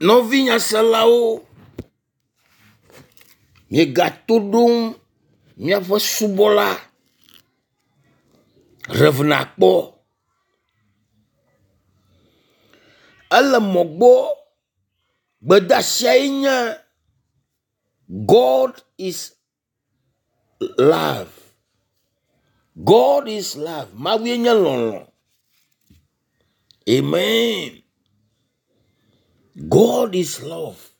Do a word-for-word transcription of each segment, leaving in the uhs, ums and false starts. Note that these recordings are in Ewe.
Nɔvi nyaselawo, miegato ɖom míaƒe subɔla Rev. Akpɔ. Ele mɔ gbɔ. Gbedeasiae nye God is love. God is love. Mawue nye lɔlɔ. Amen. God is love.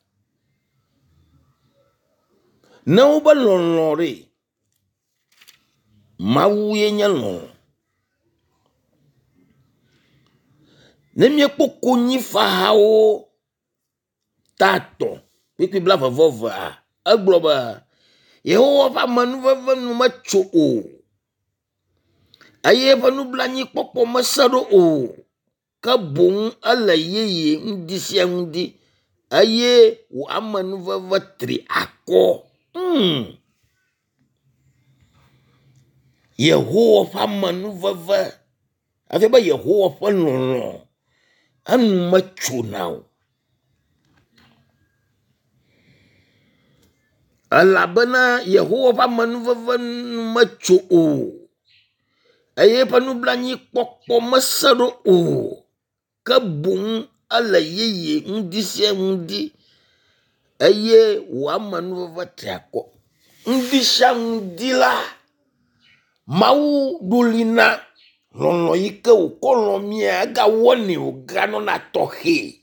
Ne wobe lɔlɔ ɖe, Mawue nye lɔlɔ. Ne míekpɔ konyifahawo ta etɔ̃ kpukpui blaeve vɔ evea, egblɔ be Yehowa ƒe amenuveve nu metso o eye eƒe nublanuikpɔkpɔ mese ɖo o ke boŋ ele yeye ŋdi sia ŋdi eye wò amenuveve tri akɔ. Mm. Yehowa ƒe amenuveve efia be Yehowa ƒe lɔlɔ enu metsona o. Elabena Yehowa ƒe amenuveve nu metso o eye eƒe nublanuikpɔkpɔ mese ɖo o ke boŋ ele yeye ŋdi sia ŋdi eye wò amenuveve tri akɔ. Ŋdi sia ŋdi la, Mawu ɖo li na lɔlɔ yi ke wòkɔ lɔ mía egawɔnɛ wòganɔna tɔxɛ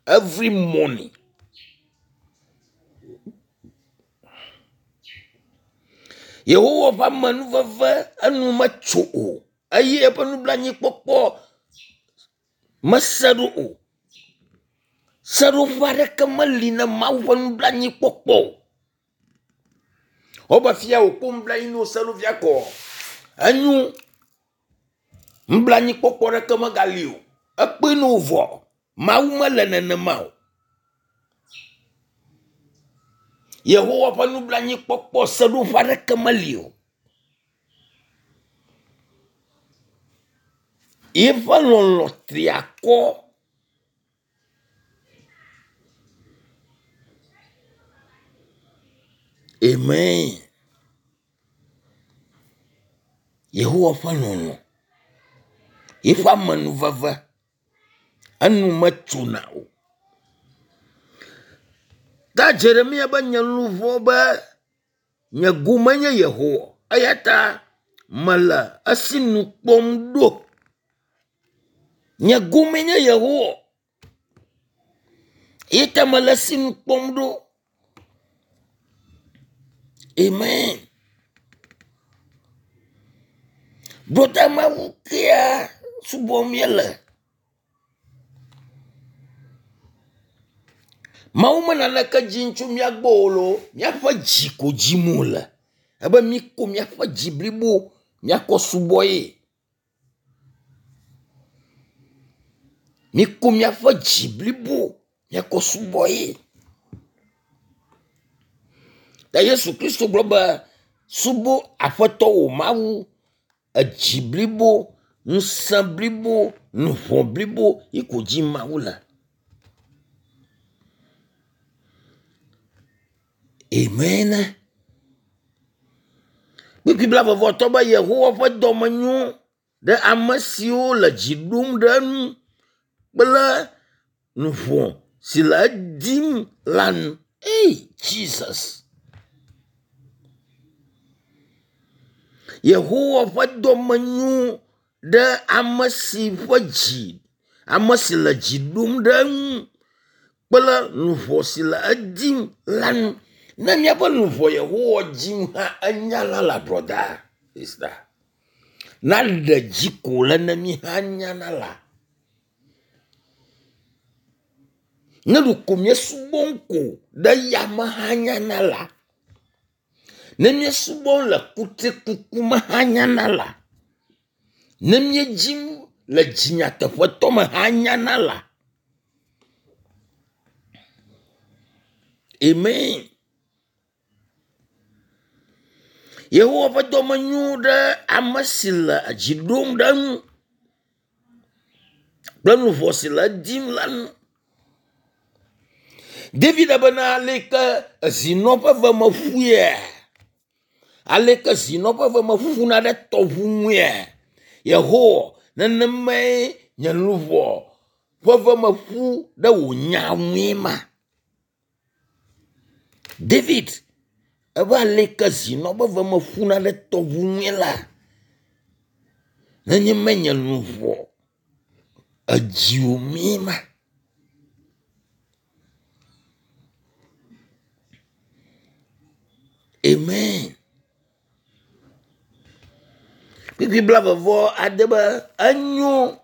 every morning. Yehowa ƒe amenuveve enu metso o eye eƒe nublanuikpɔkpɔ mese ɖo o. Seɖoƒe aɖeke meli na Mawu ƒe nublanuikpɔkpɔ o. Wobe fia wòkpɔ nublanui ne wose ɖo fia kɔ. Enyo nublanuikpɔkpɔ ɖeke megali o. Ekpɔe ne wo vɔ. Mawu mele nenema o. Yehowa ƒe nublanuikpɔkpɔ seɖoƒe aɖeke meli o. Yeƒe lɔlɔ tri akɔ. Amen. Yehowa ƒe lɔlɔ, yeƒe amenuveve enu metsona o. Ta Jeremia be nye luʋɔ be nye gome nye Yehowa eya ta mele esinu kpɔm ɖo. Nye gome nye Yehowa eya ta mele esinu kpɔm ɖo. Amen. Ɖo Mawu kea subɔm míele. Mawu me naneke dzim tso mía gbɔ o loo, míaƒe dzi ko dzim wòle. Ebe míko míaƒe dzi blibo míakɔ subɔ ye. Míko míaƒe dzi blibo míakɔ subɔ ye. Ta Yesu Kristo gblɔ be subɔ Aƒetɔ wò Mawu edzi blibo, ŋusẽ blibo, luʋɔ blibo yi ko dzi Mawu le. Amen. Kpukpui blaeve-vɔ-atɔ̃ be Yehowa ƒe dɔme nyo ɖe ame siwo le dzi ɖom ɖe eŋu kple luʋɔ si le edim la nu. Ei Jesus. Yehowa ƒe dɔme nyo ɖe ame si ƒe dzi, ame si le dzi ɖom ɖe eŋu kple luʋɔ si le edim la nu. Ne míaƒe luʋɔ Yehowa dzim hã enya la la brother sister. Naɖe dzi ko le ne mi hã nyana la. Ne ɖeko míesubɔm ko ɖe yame hã nyana la. Ne míesubɔm le kutrikuku me hã nyana la. Ne míedzim le dzinyateƒetɔ me hã nyana la. Amen. Yehowa ƒe dɔme nyo ɖe ame si le dzi ɖom ɖe eŋu kple luʋɔ si le edim la ŋu. David bena aleke zinɔ ƒe ve me ƒuia? Aleke zinɔ ƒe ve me ƒuna ɖe tɔʋu ŋuia? Yehowa, nenemae nye luʋɔ ƒe ve me ƒu ɖe wò nya ŋue ma. David ebe aleke zinɔ ƒe ve me ƒuna ɖe tɔʋu ŋue la, nenemae nye luʋɔ edziwò mee ma. Amen. Kpukpui blaeve vɔ ade be enyo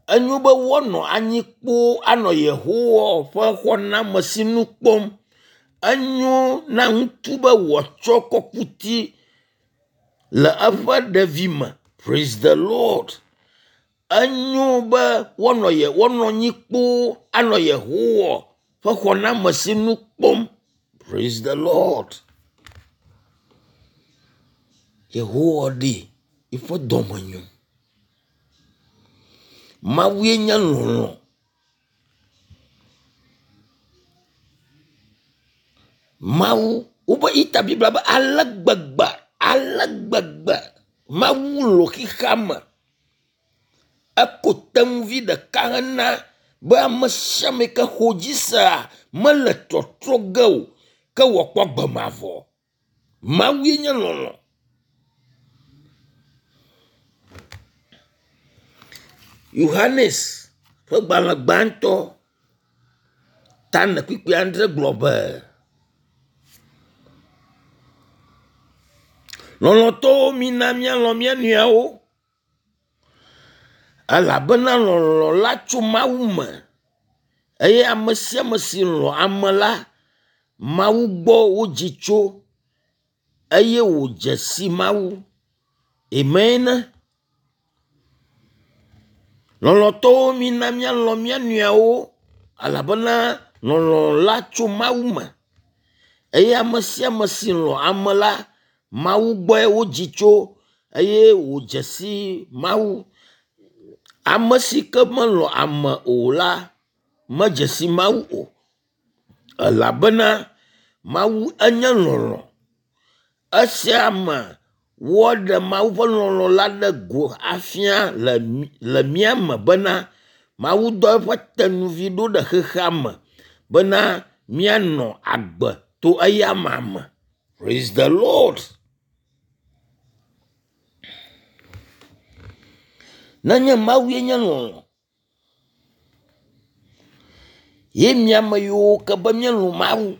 enyo be woanɔ anyi kpoo anɔ Yehowa ƒe xɔname sinu kpɔm. Enyo na ŋutsu be wòatsɔ kɔkuti le eƒe ɖevime. Praise the Lord. Enyo be woanɔ ye woanɔ anyi kpoo anɔ Yehowa ƒe xɔname sinu kpɔm. Praise the Lord. Yehowa ɖi eƒe dɔme nyo. Mawue nye lɔlɔ̃. Mawu wobe ita Biblia be ale gbegbe ale gbegbe Mawu lɔ̃ xexea me. Eko tenuvi ɖeka hena be ame sia ame yi ke xɔ dzi sea mele trɔtrɔ ge o ke wòakpɔ agbe mavɔ. Mawue nye lɔlɔ̃. Yohanes ƒe gbalẽ gbãtɔ ta ene kpukpui adre gblɔ be, lɔlɔ̃tɔwo mina míalɔ̃ mía nɔewo elabena lɔlɔ̃ la tso Mawu me eye ame sia ame si lɔ̃ ame la, Mawu gbɔ wodzi tso eye wòdze si Mawu. Amen. Lɔlɔ̃tɔwo mina míalɔ̃ mía nɔewo elabena lɔlɔ̃ la tso Mawu me eye ame sia ame si lɔ̃ ame la, Mawu gbɔe wodzi tso eye wòdze si Mawu. Ame si ke melɔ̃ ame o la, medze si Mawu o elabena Mawu enye lɔlɔ̃. Esia me woaɖe Mawu ƒe lɔlɔ̃ la ɖe go afia le le mía me bena Mawu dɔ eƒe tenuvi ɖo ɖe xexea me bena míanɔ agbe to eyama me. Praise the Lord. Nenye Mawue nye lɔlɔ̃ ye mía ame yiwo ke be míelɔ̃ Mawu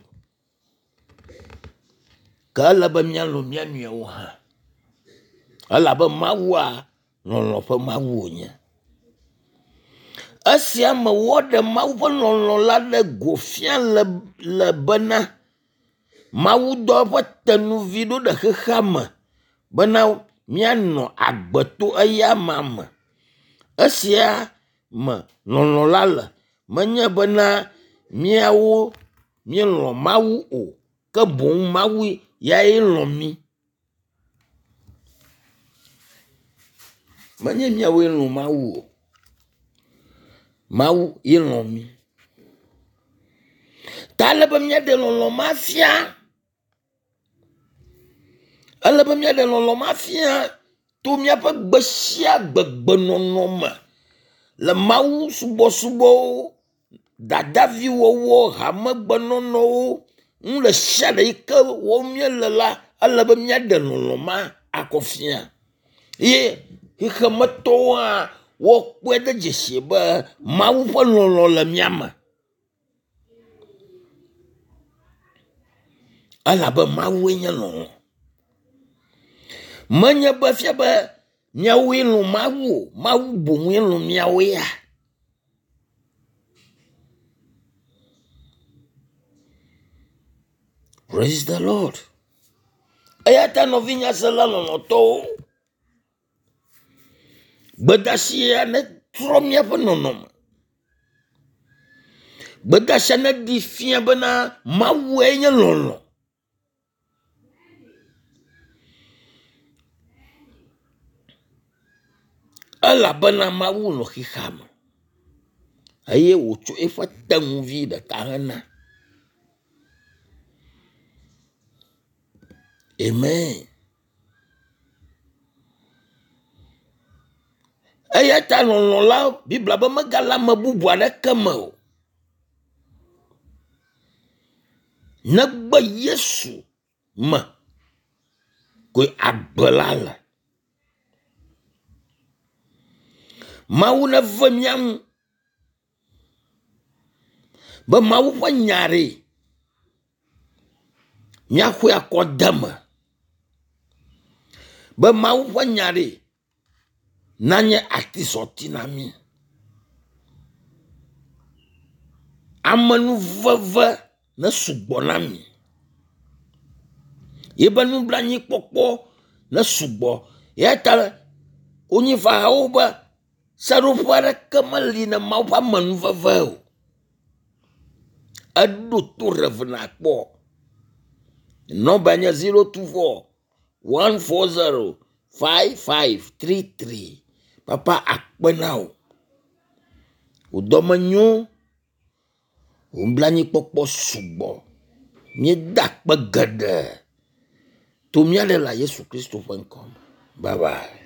ke ele be míalɔ̃ mía nɔewo hã elabe Mawua lɔlɔ̃ ƒe Mawu wònye. Esia me woaɖe Mawu ƒe lɔlɔ̃ la ɖe go fia le le bena Mawu dɔ eƒe tenuvi ɖo ɖe xexea me bena míanɔ agbe to eyama me. Esia me lɔlɔ̃ la le. Menye bena míawo míelɔ̃ Mawu o ke boŋ Mawu yae lɔ̃ mí. Menye míawoe lɔ̃ Mawu o. Mawu ye lɔ̃ mí. Ta ele be míaɖe lɔlɔ̃ ma fia. Ele be míaɖe lɔlɔ̃ ma fia to míaƒe gbe sia gbe gbenɔnɔ me le Mawu subɔsubɔwo, dadaviwɔwɔ, hamegbenɔnɔwo, nu ɖe sia ɖe yi ke wɔm míele la, ele be míaɖe lɔlɔ̃ ma akɔ fia. Ye xexemetɔwo hã woakpɔe de dzesi be Mawu ƒe lɔlɔ̃ le mía me. Elabe Mawue nye lɔlɔ̃. Menye be fia be míawoe lɔ̃ Mawu o, Mawu boŋue lɔ̃ míawo ya. Praise the Lord. Eya ta nɔvinyasela lɔlɔ̃tɔwo, gbedeasia netrɔ míaƒe nɔnɔme. Gbedeasia neɖi fia bena Mawue nye lɔlɔ̃. Elabena Mawu lɔ̃ xexea me eye wòtsɔ eƒe tenuvi ɖeka hena. Amen. Eya ta lɔlɔ̃ la, Biblia be megale ame bubu aɖeke me o. Negbe Yesu me koe agbe la le. Mawu neve mía ŋu be Mawu ƒe nya ɖe míaxɔe akɔ de eme. Be Mawu ƒe nya ɖe nanye atizɔti na mí. Amenuveve nesugbɔ na mi. Yebe nublanuikpɔkpɔ nesugbɔ. Eya ta konyifahawo be seɖoƒe aɖeke meli na Mawu ƒe amenuveve o. Eɖo to ɖe nakpɔ. Nɔmba nye zero two four one four zero five five three three. Papa akpe na wò. Wò dɔme nyo. Wò nublanuikpɔkpɔ sugbɔ. Míeda akpe geɖe to mía ɖela Yesu Kristo ƒe ŋkɔ me. Bye bye.